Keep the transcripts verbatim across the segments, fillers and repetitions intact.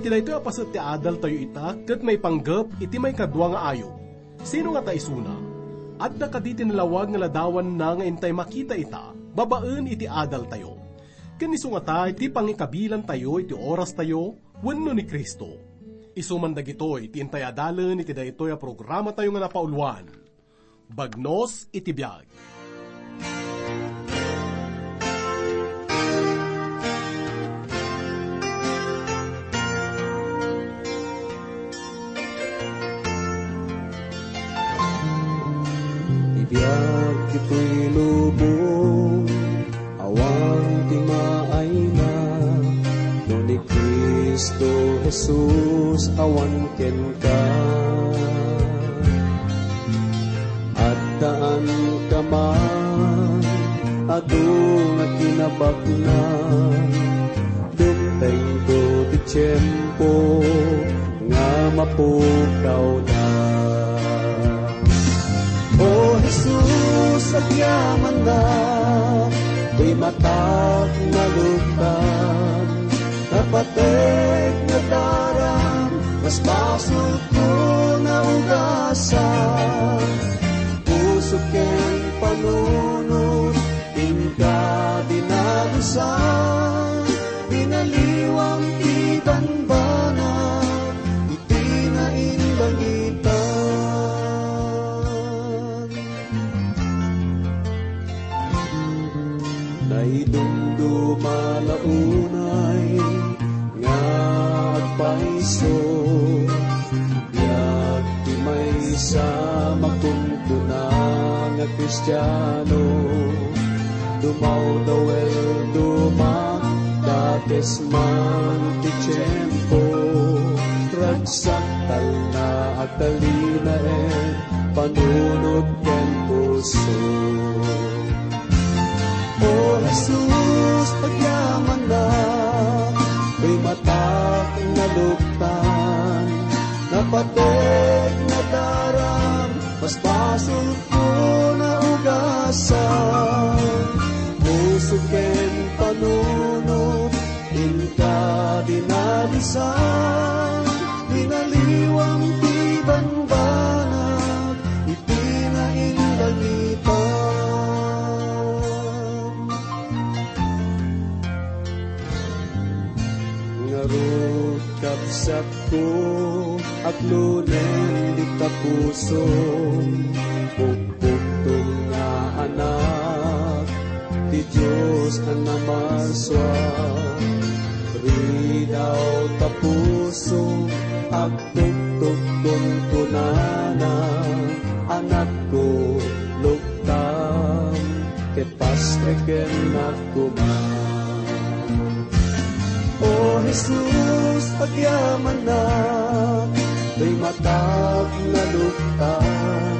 Daytoy a paset ti adaltayo ita ket maipanggep iti maikadua nga ayo. Sino ngata isuna? Adda kadi ti nalawag nga ladawanna nga intay makita ita babaen iti adaltayo? Ken isu ngata ti pangikabilantayo iti orastayo wenno ni Cristo? Isu man dagitoy ti intay adalen iti daytoy a programatayo nga napauluan, Bagnos iti Biag. Ti biag ditoy lubong, awan ti maayna, no ni Cristo Jesus awan kenka. Addaan ka man, adu nga kinabaknang, dumtengto ti tiempo nga mapukawda. O Jesus, agyamanak, ti matak nga luktan, napatek nga daram, mas basolko naugasan. Puso ken panunot, inka dinalusan, binaliwam ti banbanag, iti nainlangitan. Naidumduma la unay nga agpaiso, biag ti maysa makunkuna nga Kristiano. Dumawdaw el dumakdates man ti tiempo, ragsak talna agtalinaed panunot ken puso. O Jesus, agyamanak, ti matak nga luktan, napatek nga daram, mas basolko naugasan. Puso ken panunot, inka dinalusan, binaliwam ti banbanag, iti nainlangitan. Ngarud, kabsatko, aglunen dita puso, pukpuktom nga anak ti Dios a namasua. Ridaw ta puso, agtugtog kunkunana, anakko, luktam, ket pastrekennak koma. O Jesus, agyamanak, ti matak nga luktan,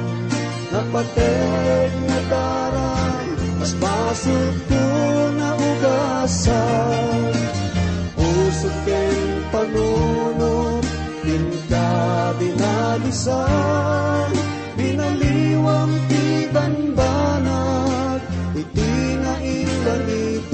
napatek nga daram, mas basolko naugasan. Puso ken panunot, inka dinalusan, binaliwam ti banbanag, iti nainlangitan.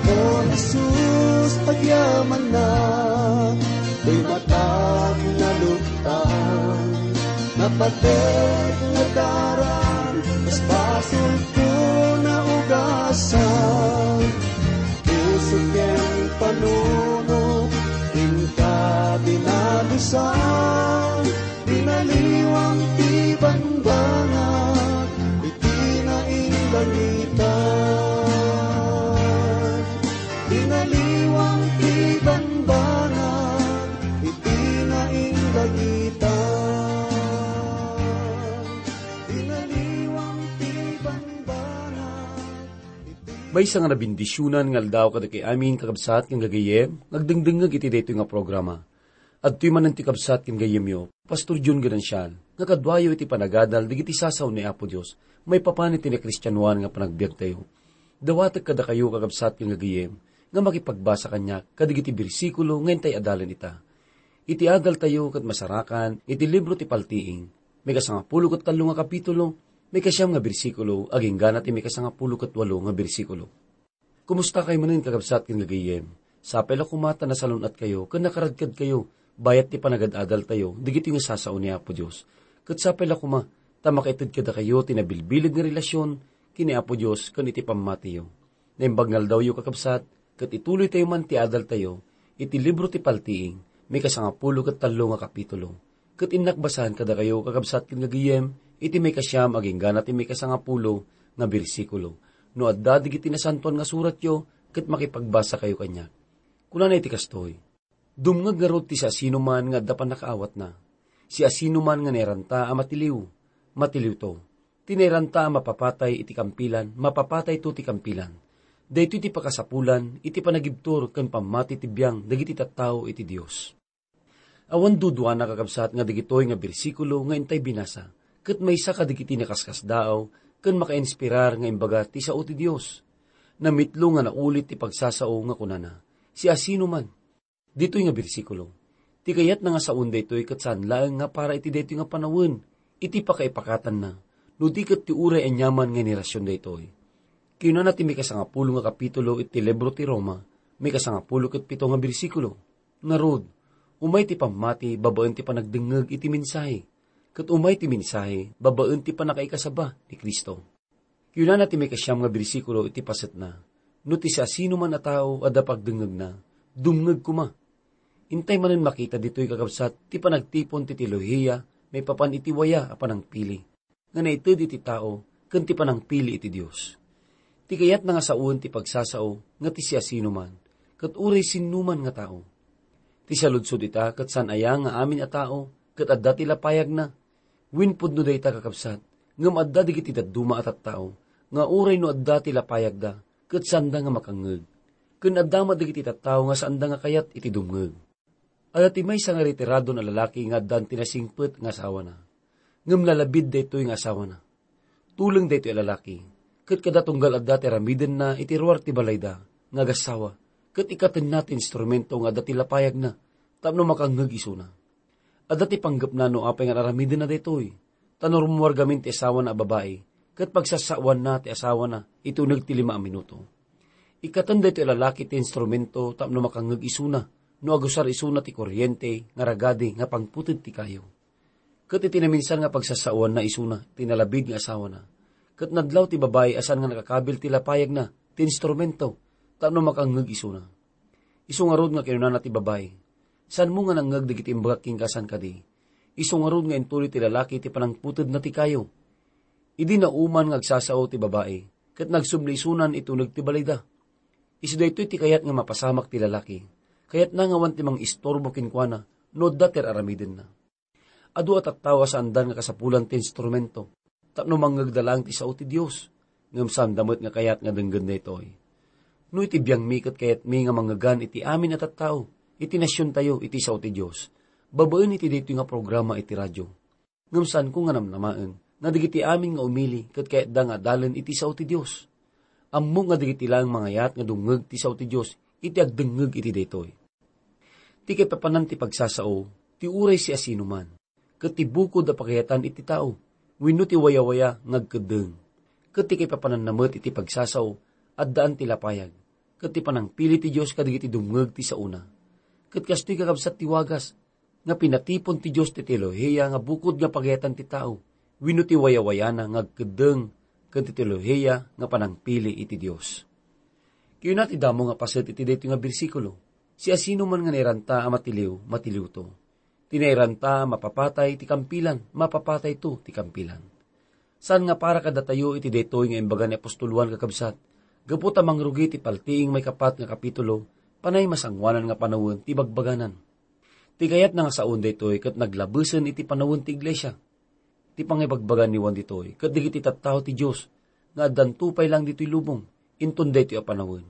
O Jesus, agyamanak, ti matak nga luktan, napatek nga daram, mas basolko naugasan. Puso ken panunot, inka dinalusan, binaliwam ti banbanag, iti nainlangitan. Binaliwam ti banbanag, iti nainlangitan. Binaliwam ti banbanag, iti Maysa nga nabendisionan nga aldaw kadagiti amin, kakabsat ken gagayyem, nga agdengdengngeg iti daytoy nga programa. Adtoy manen ti kabsat ken gayyemyo, Pastor John Ganancial, nga kaduayo iti panagadal dagiti sasaw ni Apo Dios maipapan iti nakristianoan nga panagbiagtayo. Dawatek kadakayo, kakabsat ken gagayyem, nga makipagbasa kaniak kadagiti bersikulo nga intay adalen ita. Iti adaltayo ket masarakan iti libro ti Paltiing, maikasangapulo ket tallo nga kapitulo, maikasiam nga bersikulo, agingga ti maikasangapulo ket walo nga bersikulo. Kumusta kayo manen, kakabsat ken gagayyem? Sapay la koma ta nasalun-atkayo ken nakaradkadkayo bayat ti panagad-adaltayo dagiti nga sasao ni Apo Dios. Ket sapay la koma ta makaited kadakayo ti nabilbilin nga relasyon ken ni Apo Dios ken iti pammatiyo. Naimbag nga aldawyo, kakabsat, ket ituloytayo man ti adaltayo iti libro ti Paltiing, maikasangapulo ket tallo nga kapitulo. Ket innak basaen kadakayo, kakabsat ken gagayem, iti maikasiam agingga na ti maikasangapulo nga bersikulo. No adda dagiti Nasantoan nga Suratyo, ket makipagbasakayo kaniak. Kunana iti kastoy, "Dumngeg ngarud ti siasinoman nga adda pannakaawatna. Siasinoman nga nairanta a matiliw, matiliwto. Ti nairanta a mapapatay iti kampilan, mapapatayto ti kampilan. Daytoy ti pakasapulan iti panagibtur ken pammati ti biang dagiti tattao iti Dios." Awan duduana, kakabsat, nga dagitoy nga bersikulo nga intay binasa ket maysa kadagiti nakaskasdaaw ken makainspirar nga imbaga ti sao ti Dios. Namitlo nga naulit ti pagsasao nga kunana, "Siasinoman." Ditoy nga bersikulo, ti kayatna nga saon daytoy ket saan laeng nga para iti daytoy nga panawen, iti pakaipakatanna, no di ket ti uray aniaman nga inirasyon daytoy. Kinunana ti maikasangapulo nga kapitulo iti libro ti Roma, maikasangapulo ket pito nga bersikulo, "Ngarud, umay ti pammati babaen ti panagdengngeg iti mensahe, ket umay ti mensahe babaen ti pannakaikasaba ni Cristo." Kinunana ti maikasiam nga bersikulo iti pasetna, "No ti siasinoman a tao adda pagdengngegna, dumngeg koma." Intay manen makita ditoy, kakabsat, ti panagtipon ti teolohiya maipapan iti waya a panangpili nga naited iti tao ken ti panangpili iti Dios. Ti kayatna nga sawen ti pagsasao nga ti siasinoman, ket uray sinnoman nga tao. Ti saludsod ita, ket saan aya nga amin a tao ket adda ti lapayagna? Wen pudno dayta, kakabsat, ngem adda dagiti dadduma a tattao nga uray no adda ti lapayagda, ket saanda nga makangngeg. Ken adda met dagiti tattao nga saanda nga kayat iti dumngeg. Adda ti maysa nga retiradon a lalaki nga addaan ti nasingpet nga asawana. Ngem nalabid daytoy nga asawana. Tuleng daytoy a lalaki, ket kada tunggal adda ti aramidenna iti ruar ti balayda nga agassawa, ket ikkatenna ti instrumento nga adda ti lapayagna tapno makangngeg isuna. Adda ti panggepna no apay nga aramidenna daytoy, ta no rummuar gamin ti asawana a babai, ket pagsasaoanna ti asawana iti uneg ti lima a minuto. Ikkaten daytoy a lalaki ti instrumento tapno makangngeg isuna no agusar isuna ti koriente nga ragadi nga pangputed ti kayo. Ket iti naminsan nga pagsasaoanna isuna ti nalabid nga asawana, ket nadlaw ti babai a saan nga nakakabil ti lapayagna ti instrumento tapno makangngeg isuna. Isu ngarud nga kinunana ti babai, "Saanmo nga nangngeg dagiti imbagak kenka a saan kadi? Isu ngarud nga intuloy ti lalaki ti panangputedna ti kayo." Idi nauman nga agsasao ti babai, ket nagsubli isunan iti uneg ti balayda. Isu daytoy ti kayat nga mapasamak ti lalaki. Kayatna nga awan ti mangistorbo kenkuana no adda ti ar-aramidenna. Adu a tattao a saandan nga kasapulan ti instrumento, tapno mangngegda laeng ti sao ti Dios. Ngem saanda met nga kayat nga denggen daytoy. No iti biangmi ket kayatmi nga mangngegan iti amin a tattao iti nasiontayo iti sao ti Dios, babaen iti daytoy nga programa iti radio. Ngem saanko nga namnamaen nga dagiti amin nga umili ket kayatda nga adalen iti sao ti Dios. Ammok nga dagiti laeng mangayat nga dumngeg ti sao ti Dios iti agdengngeg iti daytoy. Ti kaipapanan ti pagsasao, ti uray siasinoman, ket ti bukod a pakayatan iti tao, wenno ti wayawaya nga agkeddeng. Ket ti kaipapananna met iti pagsasao, addaan ti lapayag, ket ti panangpili ti Dios kadagiti dumngeg ti saona. Ket kastoy kakabsat ti wagas, nga pinatipon ti Dios ti teolohiya nga bukod nga pagayatan ti tao, wenno ti wayawayana nga agkeddeng ken ti teolohiya nga panangpili iti Dios. Kayuna ti damo nga paset iti daytoy nga bersikulo, "Siasinoman nga nairanta a matiliw, matiliwto. Ti nairanta a mapapatay ti kampilan, mapapatayto ti kampilan." Saan nga para kadatayo iti daytoy nga imbaga ni apostol Juan, kakabsat, gapu ta mangrugi ti paltiing maikapat nga kapitulo, panay masangoanan nga panawen ti bagbaganan. Ti kayatna nga saon daytoy ket naglabesen iti panawen ti iglesia. Ti pangibagbaga ni Juan ditoy ket dagiti tattao ti Dios nga addanto pay laeng ditoy lubong, inton daytoy a panawen.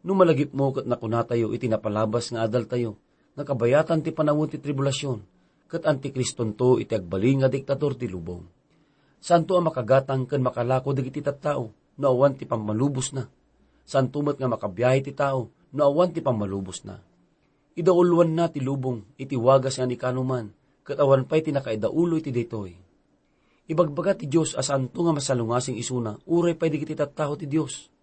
No malagipmo ket nakunatayo iti napalabas nga adaltayo nga kabayatan ti panawen ti tribulasion, ket antikristonto iti agbalin nga diktador ti lubong. Saanto a makagatang ken makalako dagiti tattao no awan ti pammalubosna. Saanto met nga makabiahe ti tao no awan ti pammalubosna. Idauluanna ti lubong iti wagas nga ni kanuman, ket awan pay ti nakaidaulo iti daytoy. Ibagbaga ti Dios a saanto nga masalungasing isuna uray pay dagiti tattao ti Dios.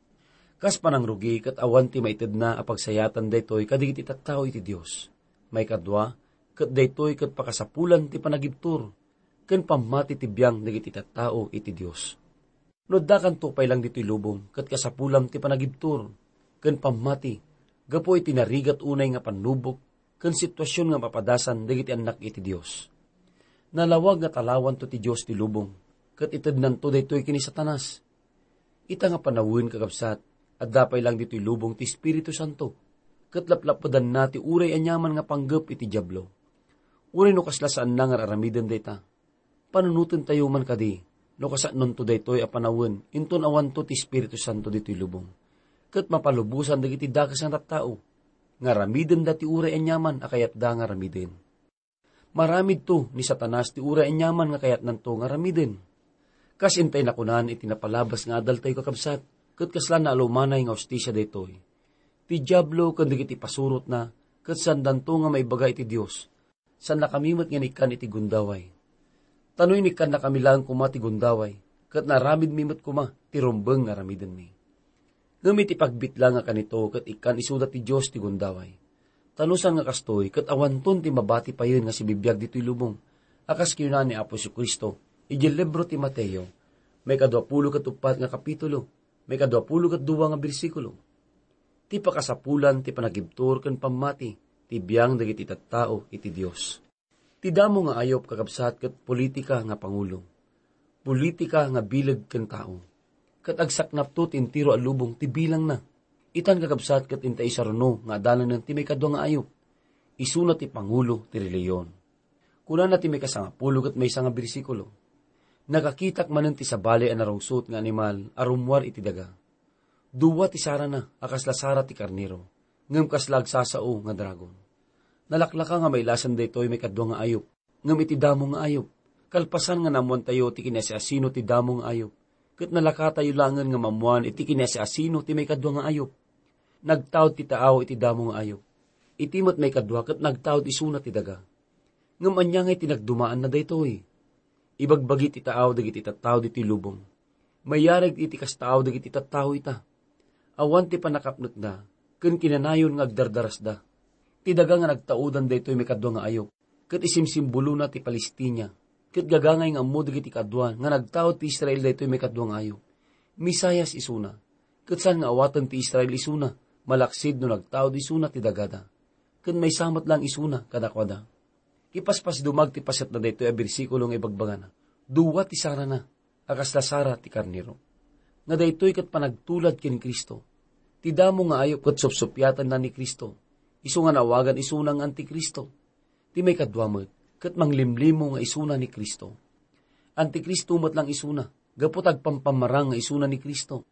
Kas panangrugi ket awan ti maitedna a pagsayatan daytoy kadagiti tattao iti Dios. Maikadua, ket daytoy ket pakasapulan ti panagibtur ken pammati ti biang dagiti tattao iti Dios. No addakanto pay lang ditoy lubong ket kasapulam ti panagibtur ken pammati gapu iti narigat unay nga pannubok ken situasion nga mapadasan dagiti annak iti Dios. Nalawag nga talawanto ti Dios ti lubong ket itednanto daytoy ken ni Satanas. Ita nga panawen, kakabsat, adda pay lang ditoy lubong ti Espiritu Santo, ket laplapedanna ti uray aniaman nga panggep iti Diablo. Uray no kasla saanna nga ar-aramiden dayta, panunotentayo man kadi no kasannonto daytoy a panawen inton awanto ti Espiritu Santo ditoy lubong, ket mapalubosan dagiti dakes nga tattao nga aramidenda ti uray aniaman a kayatda nga aramiden. Maramidto ni Satanas ti uray aniaman nga kayatnanto nga aramiden. Kas intay nakunan iti napalabas nga adaltayo, kakabsat, ket kasla naalumanay nga hustisia daytoy. Ti Diablo ken dagiti pasurotna ket saandanto nga maibaga iti Dios. Saannakami met nga inikkan iti gundaway. Ta no inikkannakami laeng koma ti gundaway, ket naaramidmi met koma ti rumbeng nga aramidenmi. Ngem iti pagbitlang a kanito ket ikkan isuda ti Dios ti gundaway. Ta no saan nga kastoy, ket awanton ti mabati payen nga sibibiag ditoy lubong, a kas kinuna ni Apo Jesu-Cristo idiay libro ti Mateo, maikadua pulo ket uppat nga kapitulo, maikadua pulo ket dua nga bersikulo. Ti pakasapulan ti panagibtur ken pammati ti biang dagiti tattao iti Dios. Ti damo nga ayup, kakabsat, ket politika nga pangulo. Politika nga bileg ken tao. Ket agsaknapto ti entero a lubong ti bilangna. Itan, kakabsat, ket inta isaruno nga adalanen ti maikadua nga ayup. Isuna ti pangulo ti relihiyon. Kunana ti maikasangapulo ket maysa nga bersikulo, "Nakakitak manen ti sabali a narungsot nga animal a rummuar iti daga. Dua ti sarana a kasla sara ti karnero, ngem kasla agsasao nga dragon." Nalaklaka nga mailasan daytoy maikadua nga ayup, ngem iti damo nga ayup. Kalpasan nga naammoantayo ti kiniasiasino ti damo nga ayup, ket nalakatayo laengen nga maammoan iti kiniasiasino ti maikadua nga ayup. Nagtaud ti taaw iti damo nga ayup. Iti met maikadua ket nagtaud isuna ti daga. Ngem ania nga itinagdumaanna daytoy? Ibagbagi ti taaw dagiti tattao ditoy lubong. Mayarag iti kastaaw dagiti tattao ita. Awan ti pannakapnekda, ken kinanayon nga agdardarasda. Ti daga nga nagtaudan daytoy maikadua nga ayup, ket isimsimbolona ti Palestina, ket gagangay nga ammo dagiti kaduan nga nagtaud ti Israel daytoy maikadua nga ayup. Misayas isuna, ket saan nga awaten ti Israel isuna, malaksid no nagtaud isuna ti dagada. Ket maysa met laeng isuna kadakuada. Ipaspasdumag ti paset na daytoy a bersikulo nga ibagbagana, dua ti sarana a kasla sara ti karnero. Nga daytoy ket panagtulad ken Cristo. Ti damo nga ayup ket supsuppiatanna ni Cristo, isu nga naawagan isuna nga Antikristo. Ti maikadua met, ket manglimlimo nga isuna ni Cristo. Antikristo met lang isuna, gapu ta agpampammarang nga isuna ni Cristo.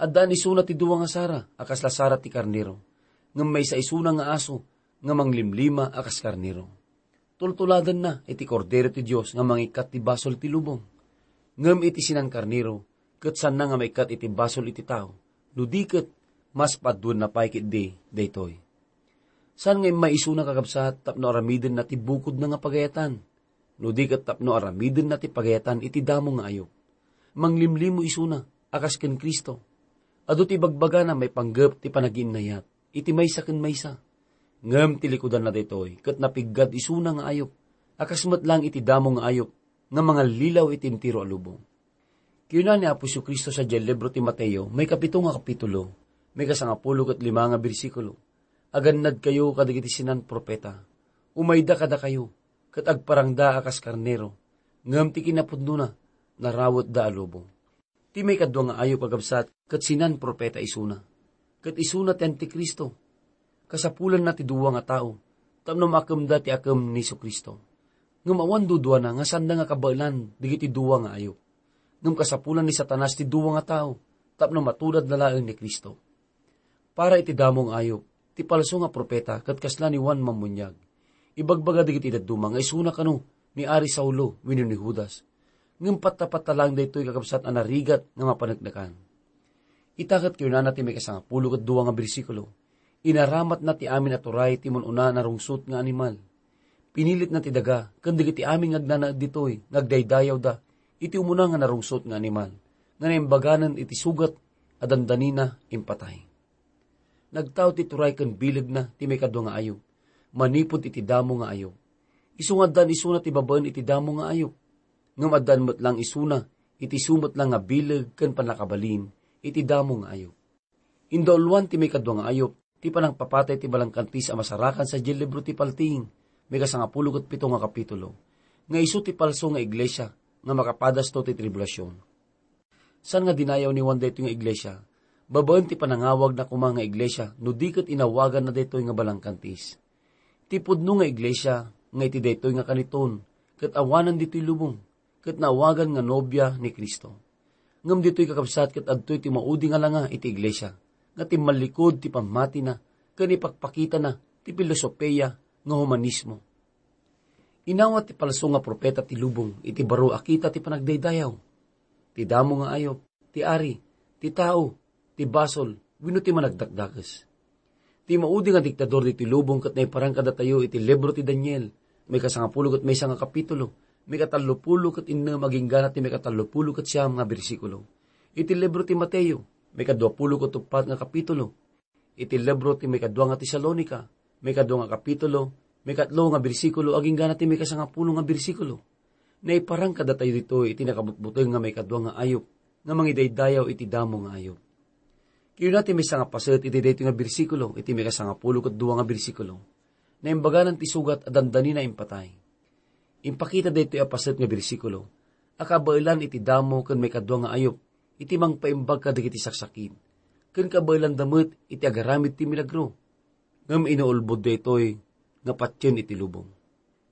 Addaan isuna ti dua nga sara a kasla sara ti karnero, ngem maysa isuna nga aso nga manglimlima a kas karnero. Tultuladanna iti Kordero ti Dios nga mangikkat ti basol ti lubong. Ngem iti sinan-karnero, ket saanna nga maikkat iti basol iti tao, no di ket mas paduenna pay ketdi daytoy. Saan nga immay isuna, kakabsat, tapno aramidenna ti bukodna nga pagayatan, no di ket tapno aramidenna ti pagayatan iti damo nga ayup. Manglimlimo isuna a kas ken Cristo. Adu ti ibagbagana maipanggep ti panagiinnayat iti maysa ken maysa. Ngem ti likudanna daytoy ket napiggad isuna nga ayup, a kas met lang iti damo nga ayup nga mangallilaw iti entero a lubong. Kinuna ni Apo Jesu-Cristo sadiay libro ti Mateo, maikapito nga kapitulo, maikasangapulo ket lima nga bersikulo, "Agannadkayo kadagiti sinan-profeta. Umayda kadakayo, ket agparangda a kas karnero, ngem ti kinapudnona, narawetda a lubong." Ti maikadua nga ayup, kakabsat, ket sinan-profeta isuna. Ket isuna ti Antikristo. Kasapulanna ti dua nga tao tapno maakemda ti akem ni Jesu-Cristo. Ngem awan duduana nga saanda nga kabaelan dagiti dua nga ayup. Ngem kasapulan ni Satanas ti dua nga tao tapno matudadna laeng ni Cristo. Para iti damo nga ayup, ti palso nga profeta ket kasla ni Juan Mammuniag. Ibagbaga dagiti dadduma nga isuna kano ni Ari Saulo wenno ni Judas. Ngem patta-patta laeng daytoy, kakabsat, a narigat nga mapaneknekan. Ita ket kinunana ti maikasangapulo ket dua nga bersikulo, "Inaramatna ti amin a turay ti mun-una a narungsot nga animal. Pinilitna ti daga ken dagiti amin nga agnanaed ditoy nga agdaydayawda iti umuna nga narungsot nga animal, nga naimbaganen iti sugat a dandanina impatay. Nagtaud ti turay ken bilegna ti maikadua nga ayup, manipud iti damo nga ayup. Isu nga addaan isuna ti babaen iti damo nga ayup. Ngem addaan met lang isuna iti isu met lang nga bileg ken pannakabalin iti damo nga ayup. Indauluan ti maikadua nga ayup ti panangpapatay ti balangkantis a masarakan sadiay libro ti Paltiing, maikasangapulo ket pito nga kapitulo, nga isu ti palso nga iglesia nga makapadasto ti tribulasion. Saan nga dinayaw ni Juan daytoy nga iglesia? Babaen ti panangawagna koma nga iglesia no di ket inawaganna daytoy nga balangkantis. Ti pudno nga iglesia nga iti daytoy nga kaniton ket awanan ditoy lubong, ket naawagan nga nobia ni Cristo. Ngem ditoy, kakabsat, ket adtoy ti maudi nga langa iti iglesia nga timmallikud ti pammatina ken ipakpakitana ti filosofia nga humanismo. Inawat ti palso nga profeta ti lubong iti baro a kita ti panagdaydayaw. Ti damo nga ayup, ti ari, ti tao, ti basol, wenno ti managdakdakes. Ti maudi nga diktador ditoy lubong ket naiparang kadatayo iti libro ti Daniel, maikasangapulo ket maysa nga kapitulo, maikatallopulo ket innem agingga na ti maikatallopulo ket siam nga bersikulo. Iti libro ti Mateo, maikaduapulo ket uppat nga kapitulo, iti libro ti maikadua nga Tesalonica, maikadua nga kapitulo, maikatlo nga bersikulo, agingga na ti maikasangapulo nga bersikulo. Naiparang kadatayo ditoy iti nakabutbuteng nga maikadua nga ayup, nga mangidaydayaw iti damo nga ayup. Kinuna ti maysa nga paset iti daytoy nga bersikulo, iti maikasangapulo ket dua nga bersikulo, naimbaganan ti sugat a dandanina impatay. Impakita daytoy a paset nga bersikulo a kabaelan iti damo ken maikadua nga ayup iti mangpaimbag kadagiti saksakit, ken kabaelanda met iti agaramid ti milagro. Ngem inuulbod daytoy nga patien iti lubong.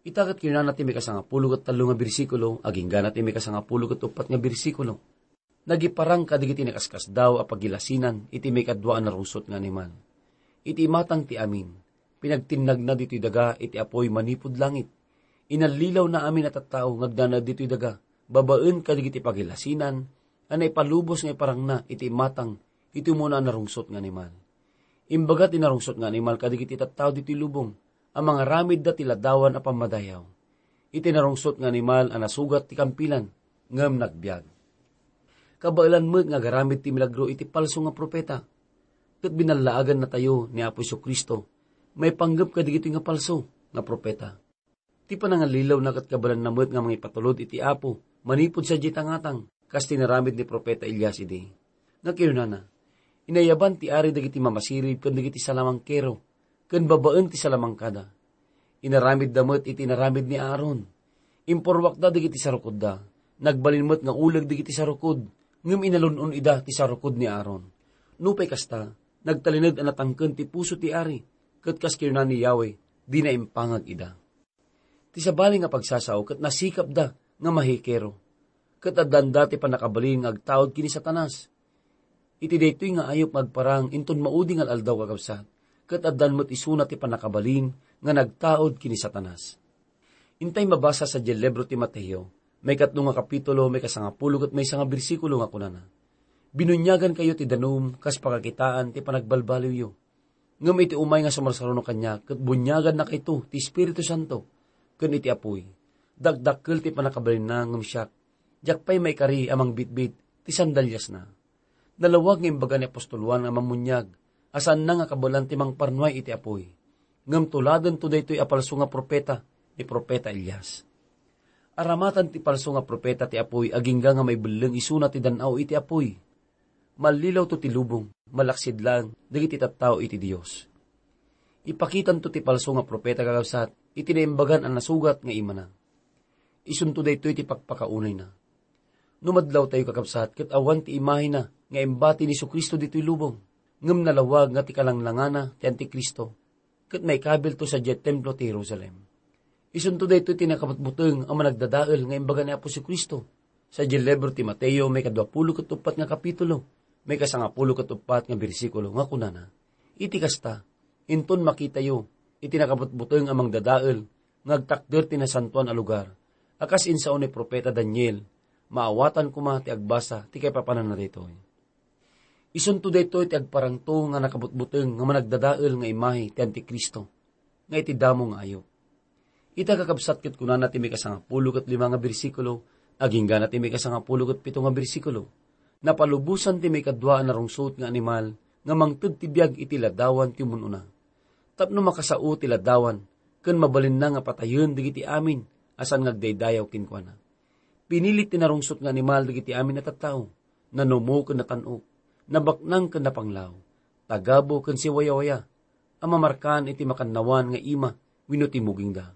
Ita ket kinunana ti maikasangapulo ket tallo nga bersikulo, agingga na ti maikasangapulo ket uppat nga bersikulo, nagiparang kadagiti nakaskasdaaw a pagilasinan iti maikadua a narungsot nga animal. Iti imatang ti amin, pinagtinnagna ditoy daga iti apuy manipud langit. Inallilawna amin a tattao nga agdanag ditoy daga, babaen kadagiti pagilasinan a naipalubos nga iparangna iti imatang iti umuna a narungsot nga animal. Imbaga ti narungsot nga animal kadagiti tattao ditoy lubong a mangaramidda ti ladawan a pammadayaw. Iti narungsot nga animal a nasugat ti kampilan, ngem nagbiag. Kabaelan met nga agaramid ti milagro iti palso nga profeta. Ket binallaagannatayo ni Apo Jesu-Cristo maipanggep kadagitoy nga palso nga profeta. Ti panangallilawna ket kabaelanna met nga mangipatulod iti Apo manipud sadiay tangatang, kas ti inaramid ni Profeta Elias idi. Nga kinunana, "Inayaban ti ari dagiti mamasirib ken dagiti salamangkero, ken babaen ti salamangkada. Inaramidda met iti inaramid ni Aaron. Impurwakda dagiti sarukodda. Nagbalin met nga uleg dagiti sarukod, ngem inalun-on ida ti sarukod ni Aaron." Nupay kasta, nagtalinaed a natangken ti puso ti ari, ket kas kinuna ni Yahweh, dina impangag ida. Ti sabali nga pagsasao ket nasikapda nga mahikero, ket addanda ti pannakabalin nga agtaud ken ni Satanas. Iti daytoy nga ayup nga agparang inton maudi nga al-aldaw, kakabsat, ket addan met isuna ti pannakabalin nga nagtaud ken ni Satanas. Intay mabasa sadiay libro ti Mateo, maikatlo nga kapitulo, maikasangapulo ket maysa nga bersikulo nga kunana, "Binuniagankayo ti danum kas pakakitaan ti panagbalbaliwyo." Ngem iti umay nga sumarsaruno kaniak ket buniagannakayto ti Espiritu Santo ken iti apuy, dakdakkel ti pannakabalinna ngem siak, diak pay maikari a mangbitbit ti sandaliasna. Nalawag nga imbaga ni apostol Juan a mammuniag a saanna nga kabaelan ti mangparnuay iti apuy, ngem tuladento daytoy a palso nga profeta ni Profeta Elias. Aramatan ti palso nga profeta ti apuy agingga nga maibelleng isuna ti dan-aw iti apuy. Mallilawto ti lubong, malaksid laeng dagiti tattao iti Dios. Ipakitanto ti palso nga profeta, kakabsat, iti naimbagan a nasugat nga imana. Isunto daytoy ti pakpakaunayna. No madlawtayo, kakabsat, ket awan ti imahina nga imbati ni Jesu-Cristo ditoy lubong, ngem nalawag nga ti kalanglangana ti Antikristo, ket maikabilto sadiay templo ti Jerusalem. Isunto daytoy ti nakabutbuteng a managdadael nga imbaga ni Apo Jesu-Cristo. Sadiay libro ti Mateo, maikaduapulo ket uppat nga kapitulo, maikasangapulo ket uppat nga bersikulo, nga kunana, "Iti kasta, inton makitayo iti nakabutbuteng a mangdadael nga agtakder ti nasantoan a lugar, a kas insao ni profeta Daniel, maawatan koma ti agbasa ti kaipapananna daytoy." Isunto daytoy ti agparangto nga nakabutbuteng nga managdadael nga imahe ti Antikristo, nga iti damo nga ayup. Ita, kakabsat, ket kunana ti maikasangapulo ket lima nga bersikulo, agingga na ti maikasangapulo ket pito nga bersikulo, Napalubosan ti maikadua a narungsot nga animal nga mangted ti biag iti ladawan ti umun-una. Tapno makasao ti ladawan, ken mabalinna nga patayen dagiti amin a saan nga agdaydayaw kenkuana. Pinilit ti narungsot nga animal dagiti amin a tattao, nanumo ken natan-ok, nabaknang ken napanglaw, tagabu ken siwayawaya, a mamarkaan iti makannawan nga ima wenno ti mugingda.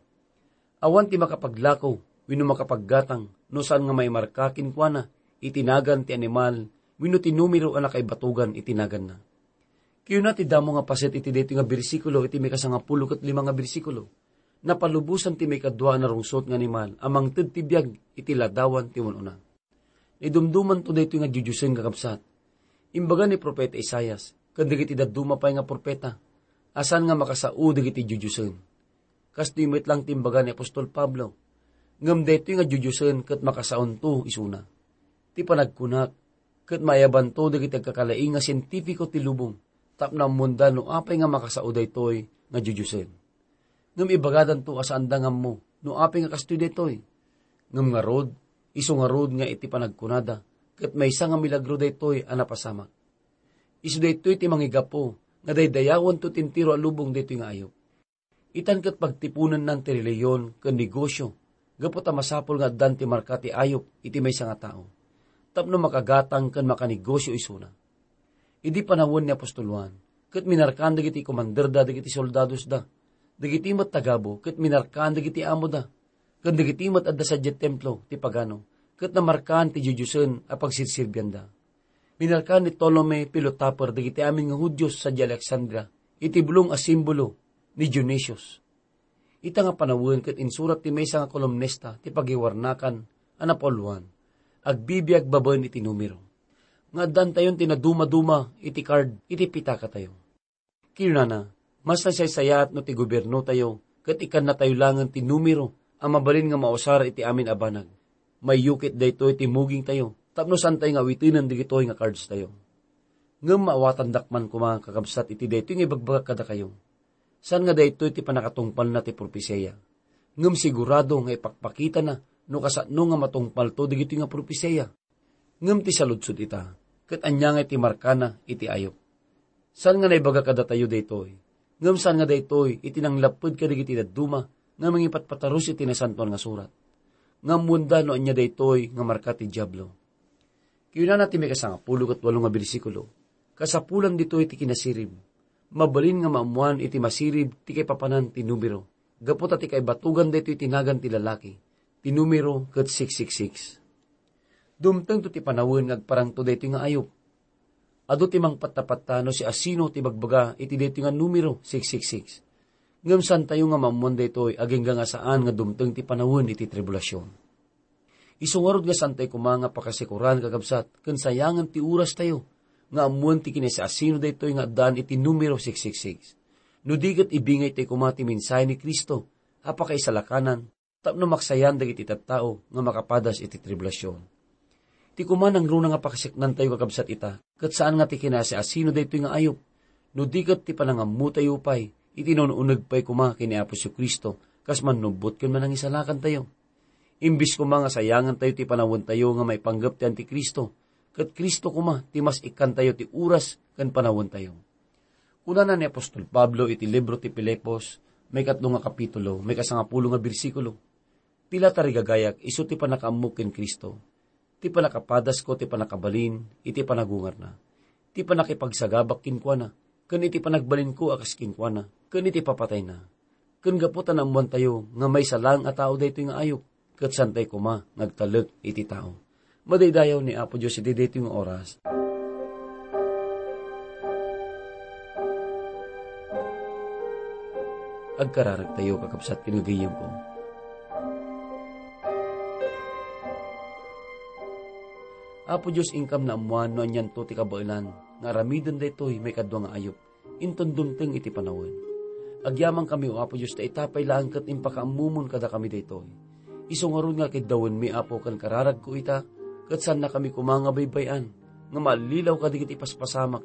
Awan ti makapaglako wenno makapaggatang no saan nga maimarka kenkuana iti nagan ti animal wenno ti numero a nakaibatugan iti naganna. Kayuna ti damo nga paset iti daytoy nga bersikulo iti maikasangapulo ket lima nga bersikulo. Napalubosan ti maikadua a narungsot nga animal a mangted ti biag iti ladawan ti umun-una. Naidumdumanto daytoy nga diudiosen, kakabsat. Imbaga ni Profeta Isaias ken dagiti dadduma pay nga profeta a saan nga makasao dagiti diudiosen. Kastoy met lang ti imbaga ni apostol Pablo. Ngem daytoy nga diudiosen ket makasaonto isuna. Ti panagkunak ket maayabanto dagiti agkakalaing nga sientipiko ti lubong tapno ammonda no apay nga makasao daytoy nga diudiosen. Ngem ibagadanto a saanda nga ammo no apay nga kastoy daytoy. Ngem ngarud, isu ngarud nga iti panagkunada, ket maysa nga milagro daytoy a napasamak. Isu daytoy ti mangigapu nga daydayawanto ti entero a lubong daytoy nga ayup. Itan ket pagtiponennan ti relihiyon ken negosio gapu ta masapul nga addan ti marka ti ayup iti maysa nga tao tapno makagatang ken makanegosio isuna. Idi panawen ni apostol Juan, ket minarkaan dagiti komanderda dagiti soldadosda. Dagiti met tagabu ket minarkaan dagiti amoda, ken dagiti met adda sadiay templo ti pagano ket namarkaan ti diudiosen a pagserserbianda. Minarkaan ni Ptolemy Pilotaper dagiti amin nga Judio sadiay Alexandria iti bulong a simbolo ni Dionysius. Ita nga panawen ket insurat ti maysa nga kolumnista ti pagiwarnakan a napauluan, agbibiag babaen iti numero. Nga addantayon ti nadumaduma iti card iti pitakatayo. Kinunana, mas nasaysayaat no ti gobiernotayo ket ikkannatayo langen ti numero a mabalin nga mausar iti amin a banag. Maiyukit daytoy ti mugingtayo tapno saantayo nga awitenen dagitoy nga cardstayo. Ngem maawatandak man koma, kakabsat, iti daytoy nga ibagbagak kadakayo. Saan nga daytoy ti pannakatungpalna ti propesiya. Ngem sigurado nga ipakpakitana no kasano nga matungpalto dagitoy nga propesiya. Ngem ti saludsod ita, ket ania nga iti markana iti ayup? Saan nga naibaga kadatayo daytoy? Ngem saan nga daytoy iti nanglapped kadagiti dadduma nga mangipatpatarus iti Nasantoan nga Surat? Nga ammoenda no ania daytoy nga marka ti Diablo. Kinunana ti maikasangapulo ket walo nga bersikulo, kasapulan ditoy ti kinasirib. Mabalin nga maammoan iti masirib ti kaipapanan ti numero, gapu ta ti kaibatugan daytoy ti nagan ti lalaki, ti numero ket six six six. Dumtengto ti panawen nga agparangto daytoy nga ayup. Adu ti mangpattapatta no siasino ti bagbaga iti daytoy nga numero six six six. Ngem saantayo nga maammoan daytoy agingga nga saan nga dumteng ti panawen iti tribulasion. Isu ngarud nga saantayo koma nga pakasikuran, kakabsat, ken sayangan ti orastayo nga ammoen ti kinasiasino daytoy nga addaan iti numero six six six. No di ket ibingaytayo koma ti mensahe ni Cristo a pakaisalakanan tapno maksayan dagiti tattao nga makapadas iti tribulasion. Ti koma nangruna nga pakasaknantayo, kakabsat, ita, ket saan nga ti kinasiasino daytoy nga ayup, no di ket ti panangammotayo pay iti naun-uneg pay koma ken ni Apo Jesu-Cristo kas mannubbot ken manangisalakantayo. Imbes koma nga sayangantayo ti panawentayo nga maipanggep ti Antikristo, ket Cristo koma ti mas ikkantayo ti oras ken panawentayo. Kunana ni apostol Pablo iti libro ti Filipos, maikatlo nga kapitulo, maikasangapulo nga bersikulo, "Pila, tarigagayak, isu ti pannakaammok ken Cristo, ti pannakapadasko ti pannakabalin iti panagungarna, ti pannakipagsagabak kenkuana, ken iti panagbalinko a kas kenkuana, ken iti papatayna." Ken gapu ta naammoantayo nga maysa laeng a tao daytoy nga ayup, ket saantayo koma nga agtalek iti tao. Madaydayaw ni Apo Dios iti daytoy nga oras. Agkararagtayo, kakabsat ken gagayyemko. Apo Dios, inkam naammoan no anianto ti kabaelan nga aramiden daytoy maikadua nga ayup. Inton dumteng iti panawen. Agyamankami, O Apo Dios, ta ita pay laeng ket impakaammomon kadakami daytoy. Isu ngarud nga kiddawenmi, Apo, ken kararagko ita, ket saannakami koma nga baybay-an nga maallilaw kadagiti paspasamak.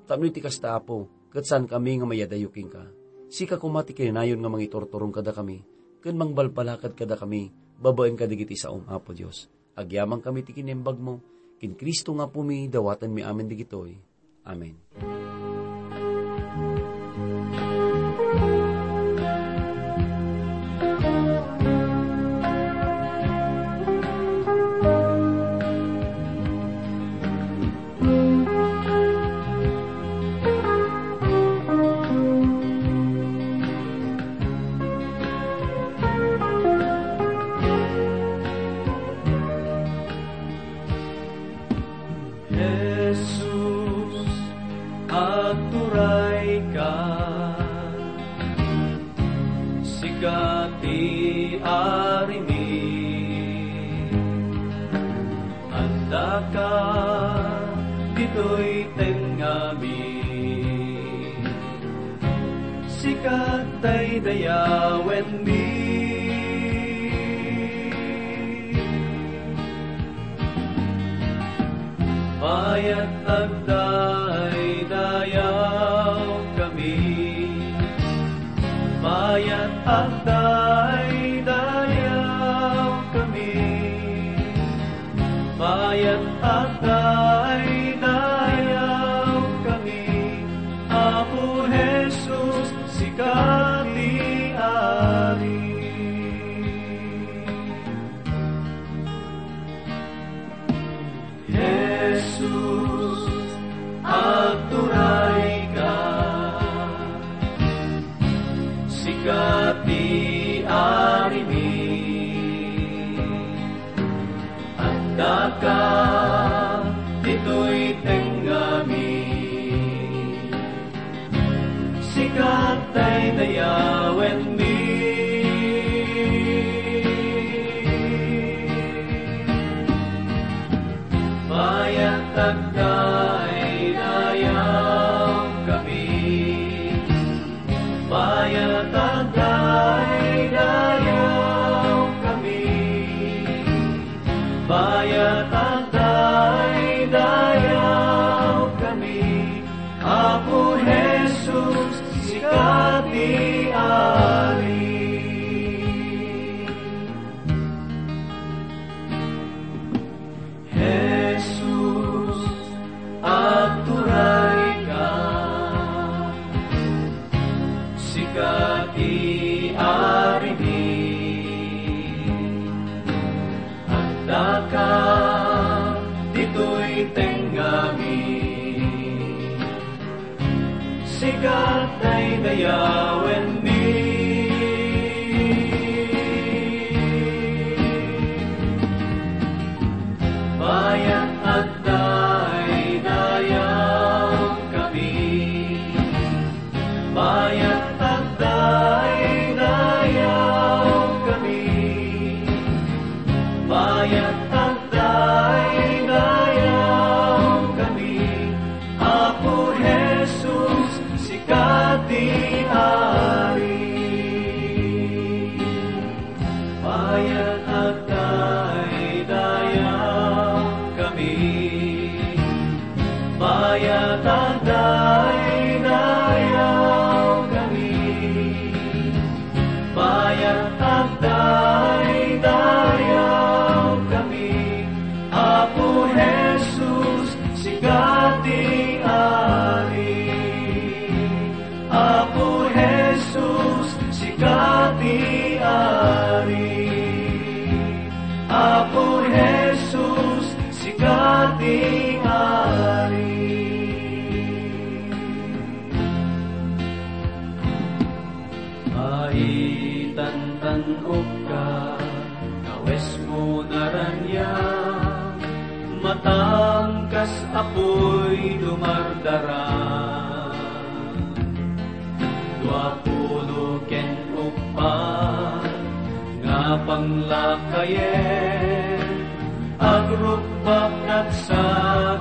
Tapno iti kasta, Apo, ket saankami nga mayadayo kenka. Sika koma ti kinayon nga mangiturturong kadakami ken mangbalbalakad kadakami babaen kadagiti saom, Apo Dios. Agyamankami ti kinaimbagmo, Ken Cristo nga Apumi, dawatenmi amin dagitoy. Amen. Jesus, agturayka, sika ti arimi. Addaka ditoy tengngami, sika daydayawenmi. Bayat agdaydayawkami. Bayat agdaydayawkami. Bayat agdaydayawkami. Apo Jesus, sika ti Ari. Jesus, agturayka, sika ti arimi. Addaka ditoy tengngami, sika daydayawenmi. Bayat agdaydayawkami. Bayat agdaydayawkami. Bayat agdaydayawkami. Apo Jesus, sika ti Ari. Jesus, agturayka, sika ti Arimi. Addaka ditoy tengngami, sika daydayawenmi. Bayat agdaydayawkami. Bayat agdaydayawkami. Bayat agdaydayawkami. Apo Jesus, sika ti Ari. Bayat agdaydayawkami. Bayat agdaydayawkami. Bayat agdaydayawkami. Apo Jesus, sika ti Ari. Apo Jesus, sika ti Ari. Apo Jesus, sika ti Ari. Maitan tan-okka, kawesmo naraniag, matangkas a puy dumardara. Dua pulo ken uppat nga panglakayen, agrukbak nagsak